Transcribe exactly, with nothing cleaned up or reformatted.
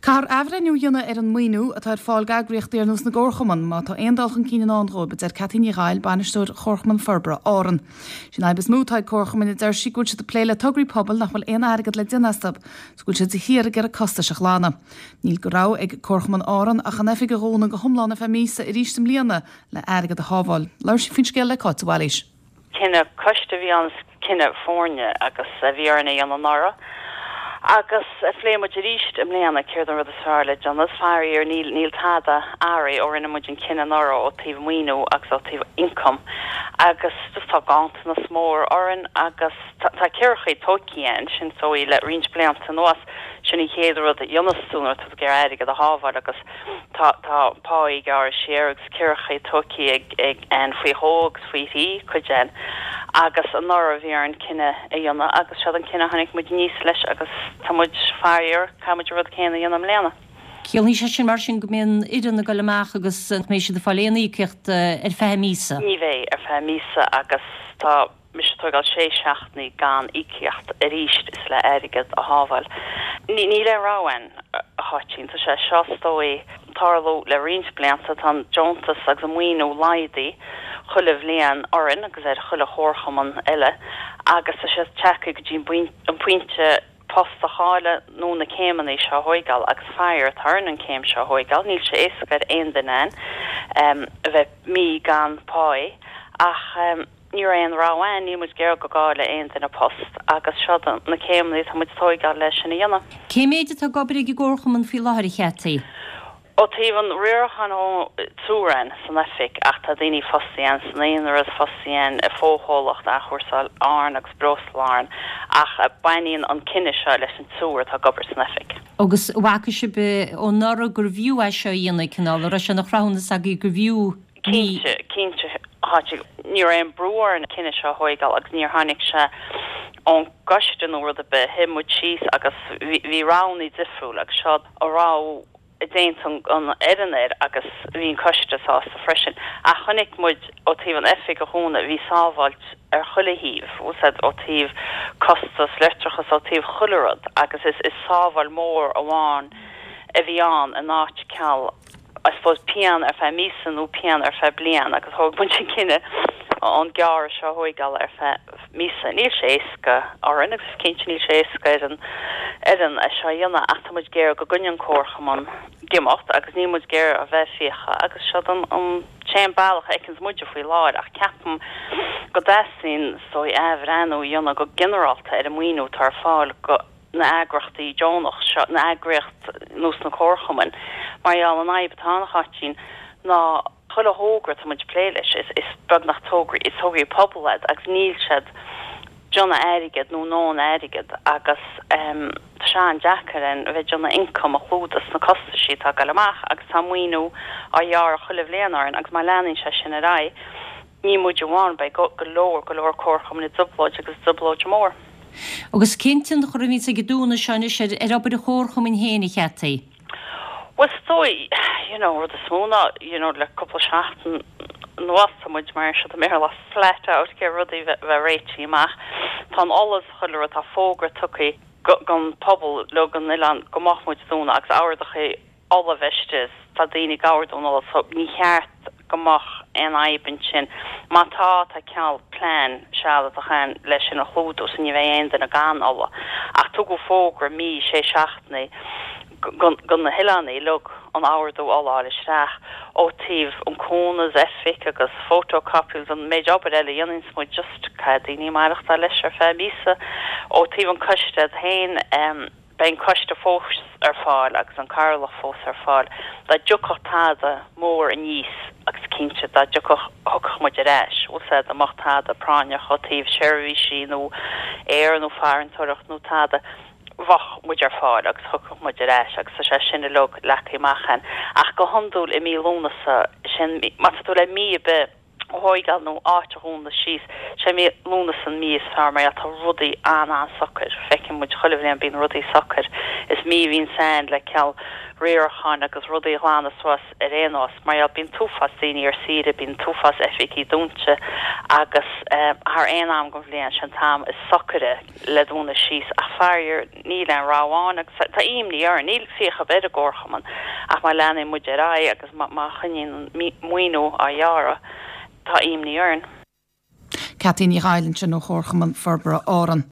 Caithfear athbhreithniú a dhéanamh ar an maoiniú atá ar fáil d'eagraíochtaí ar nós na gcomharchumann má tá aon dul chun cinn i ndán dóibh, a deir Cathy Ní Ghaill, bainisteoir Chomharchumann Forbartha Árann. Sin fhadhb is mó atá ag comharchumainn a deir sí go bhfuil siad ag plé le tograí pobail nach bhfuil aon airgead le déanamh astu, is go bhfuil siad de shíor ag iarraidh costais a ghlanadh. Níl de rogha ag Comharchumann Árann ach an oifig a dhúnadh go hiomlán ar feadh míosa arís i mbliana le airgead a shábháil. Labhair sí faoin scéal le Cáit Bhailís. Cinneadh coiste a bhí ann cinneadh foirne agus a bhí orainn a dhéanamh anuraidh. Agus phléigh muid arís i mbliana céard an rud is fearr le déanamh faraor níl níl tada athraithe ó rinne muid an cinneadh anuraidh ó taobh maoiniú agus ó taobh income agus just tá ganntanas mór orainn agus tá ceithre tógtha againn sin so le roinnt blianta anuas sin an chéad rud a dhéanann tú nuair tú ag iarraidh airgead a shábháil agus tá tá pá gearrtha siar agus ceithre tógtha ag ag an faoi dhó agus faoi thrí cuid againn agus anuraidh bhí orainn cinneadh a dhéanamh agus seo an cinneadh tháinig muid aníos leis agus tá muid faraor caithfidh muid rud céanna a dhéanamh i mbliana. Ciallaíonn sé sin mar sin go mbíonn fhoireann ag dul amach agus mbeidh siad ag fáil aon íocaíocht ar feadh míosa. Ní bheidh ar feadh míosa agus tá mise ag tógáil sé seachtainí gan íocaíocht arís is le airgead a shábháil. Ní níl aon rogha againn a Cháitín tá sé seo is dóigh tarlú le roinnt blianta tá an deontas agus an maoiniú laghdaithe chuile bhliain orainn agus ar chuile chomharchumann eile agus tá sé tagtha go dtí an pointe post a chailleadh nó na céimeanna seo a thógáil agus faraor tá orainn an céim seo a thógáil, níl sé éasca ar aon duine um, a bheith mí gan pá ach um, ní raibh aon rogha againn níl muid ag iarraidh go gcaillfeadh aon duine post agus seo na céimeanna tá muid tógáil leis sin a dhéanamh. Cé méid atá ag obair ag an gcomharchumann faoi láthair a Chathy? Ó taobh an riaracháin triúr againn san oifig ach tá daoine fostaithe san aonras fostaithe i bhfochomhlacht athchúrsáil Árann agus Breosla Árann ach baineann an cinneadh seo leis an triúr atá ag obair san oifig. Agus bhfaca sibh ó anuraidh gurbh fhiú é seo a dhéanamh cineál a raibh sé ina chruthúnas agaibh gurbh fhiú Cinnte cinnte háite ní raibh aon brú orainn an cinneadh seo a thógáil agus níor tháinig sé ón gcoiste nó rud ar bith shuigh muid síos agus bhí roghanna difriúil agus seo a raibh déanta an fhoireann air agus bhí an coiste sásta freisin. Ach chonaic muid ó taobh an oifig a dhúnadh bhí sábháilt ar chuile thaobh úsáid ó taobh costas leictreachas ó taobh chuile rud agus is is sábháil mór amháin a bhí ann in áit ceal I suppose pian ar feadh míosa nó pian ar feadh bliain agus thóg muid an cinneadh an gearradh seo a thógáil ar feadh míosa. Níl sé éasca orainn agus cinnte níl sé éasca ar an fhoireann é seo a dhéanamh ach tá muid ag iarraidh go gcoinneodh an comharchumann ag imeacht agus níl muid ag iarraidh a bheith fiacha agus seo an an t-aon bealach a fheiceanns muide faoi láthair ach ceapaim go dteastaíonn so athbhreithniú a dhéanamh go ginearálta ar an maoiniú atá ar fáil go na heagraíochtaí deonach seo na heagraíocht nós na comharchumainn mar gheall an fhadhb atá ann a Cháitín ná chuile thogra tá muid plé leis is is beagnach tograí is tograí pobail iad agus níl siad déanamh airgead nó nó airgead agus um, tá sé an-deacair an bheith déanamh income a chlúdach na costais atá ag dul amach agus tá maoiniú á ghearradh chuile bhliain orainn agus má leanann sé sin ar aghaidh ní muid amháin beidh go go leor go leor comharchumainn i dtrioblóid agus trioblóid mór. Agus cén tionchar a bhíonn ag an dúnadh seo anois ar ar obair an chomharchumainn féin a Chathy. Well dóigh you know rud is mó ná you know le cúpla seachtain anuas tá muid mar seo mé le flat out ag rudaí bheith réitithe amach. Tá an olas chuile rud tá fógra tugtha don pobal le an oileán go mbeadh muid dúnta agus ordaithe ola bheistes tá daoine ag ordú an ola so ní cheart go mbeadh aon fhadhb ansin. Má tá tá ceal plean sealadach ann leis sin a chlúdú so ní bheidh aon duine gan ola. Ach tugadh fógra mí sé seachtainí do na hoileánaigh uilig an ordú ola isteach ó taobh an cúnamh oifig agus photocopies an méid obair eile dhéanann muid just caithfidh daoine maireachtáil leis ar feadh míosa ó taobh an coiste féin um, beidh an coiste fós ar fáil agus an cathaoirleach fós ar fáil dá dtiocfadh tada mór aníos agus cinnte dá dtiocfadh thiocfadh muid ar ais úsáid amach tada práinneach ó taobh seirbhísí nó aer nó farantóireacht nó tada bheadh muid ar fáil agus thiocfadh muid ar ais agus tá sé sin uilig leagtha amach ann ach go hiondúil i mí Lúnasa sin má tá tú le mí ar bith a thóigeáil nó áit a dhúnadh síos. Sé mí Lúnasa an mí is fearr mar tá rudaí an-an-socair. Feiceann muid chuile bhliain bíonn rudaí socair. Is mí a bhíonn ann le cineál riaracháin agus rudaí a ghlanadh suas ar aon nós mar gheall bíonn t-uafás daoine ar saoire, bíonn t-uafás oifigí dúnta agus thar aon am den bhliain sin an t-am is socaire le dúnadh síos ach faraor níl aon rogha ann agus tá imní orainn, níl fiacha ar bith ar an gcomharchumann ach má leanann muid ar aghaidh agus má choinníonn an maoiniú á ghearradh tá imní orainn. Cathy Ní Ghaill ansin ó Chomharchumann Forbartha Árann.